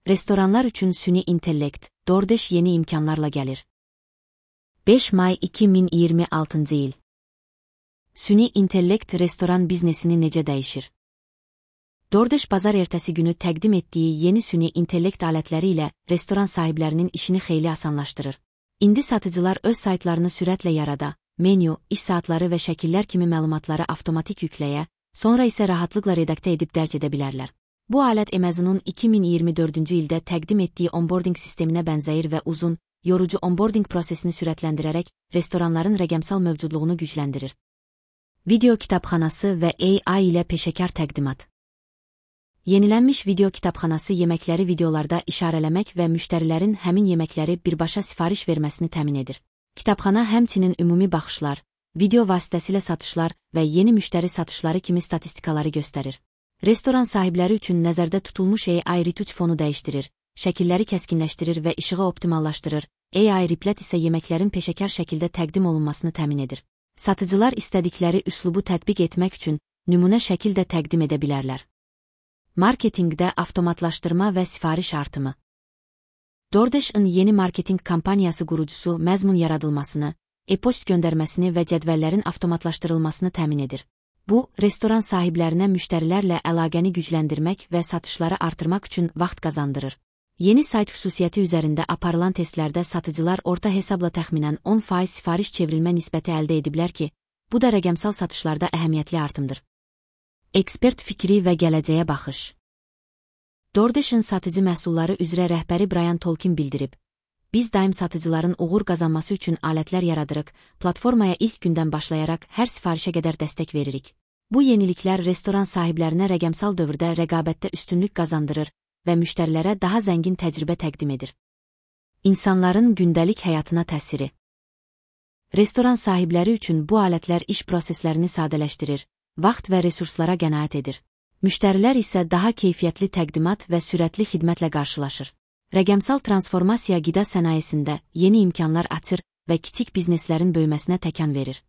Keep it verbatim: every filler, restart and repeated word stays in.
Restoranlar üçün süni intellekt, DoorDash yeni imkanlarla gəlir. beş may iki min iyirmi altıncı il. Süni intellekt restoran biznesini necə dəyişir? DoorDash bazar ertəsi günü təqdim etdiyi yeni süni intellekt alətləri ilə restoran sahiblərinin işini xeyli asanlaşdırır. İndi satıcılar öz saytlarını sürətlə yarada, menyu, iş saatları və şəkillər kimi məlumatları avtomatik yükləyə, sonra isə rahatlıqla redaktə edib dərc edə bilərlər. Bu alət Amazon'un iki min iyirmi dördüncü ildə təqdim etdiyi onboarding sisteminə bənzəyir və uzun, yorucu onboarding prosesini sürətləndirərək restoranların rəqəmsal mövcudluğunu gücləndirir. Video kitabxanası və A I ilə peşəkar təqdimat. Yenilənmiş video kitabxanası yeməkləri videolarda işarələmək və müştərilərin həmin yeməkləri birbaşa sifariş verməsini təmin edir. Kitabxana həmçinin ümumi baxışlar, video vasitəsilə satışlar və yeni müştəri satışları kimi statistikaları göstərir. Restoran sahibləri üçün nəzərdə tutulmuş A I retouch fonu dəyişdirir, şəkilləri kəskinləşdirir və işığı optimallaşdırır. A I Replat isə yeməklərin peşəkar şəkildə təqdim olunmasını təmin edir. Satıcılar istədikləri üslubu tətbiq etmək üçün nümunə şəkil də təqdim edə bilərlər. Marketinqdə avtomatlaşdırma və sifariş artımı. DoorDash'ın yeni marketinq kampaniyası qurucusu məzmun yaradılmasını, e-post göndərməsini və cədvəllərin avtomatlaşdırılmasını təmin edir. Bu, restoran sahiblərinə müştərilərlə əlaqəni gücləndirmək və satışları artırmaq üçün vaxt qazandırır. Yeni sayt xüsusiyyəti üzərində aparılan testlərdə satıcılar orta hesabla təxminən on faiz sifariş çevrilmə nisbəti əldə ediblər ki, bu da rəqəmsal satışlarda əhəmiyyətli artımdır. Ekspert fikri və gələcəyə baxış. DoorDash'ın satıcı məhsulları üzrə rəhbəri Brian Tolkin bildirib, biz daim satıcıların uğur qazanması üçün alətlər yaradırıq, platformaya ilk gündən başlayaraq hər sifarişə qədər dəstək veririk. Bu yeniliklər restoran sahiblərinə rəqəmsal dövrdə rəqabətdə üstünlük qazandırır və müştərilərə daha zəngin təcrübə təqdim edir. İnsanların gündəlik həyatına təsiri. Restoran sahibləri üçün bu alətlər iş proseslərini sadələşdirir, vaxt və resurslara qənaət edir. Müştərilər isə daha keyfiyyətli təqdimat və sürətli xidmətlə qarşılaşır. Rəqəmsal transformasiya qida sənayesində yeni imkanlar açır və kiçik bizneslərin böyüməsinə təkan verir.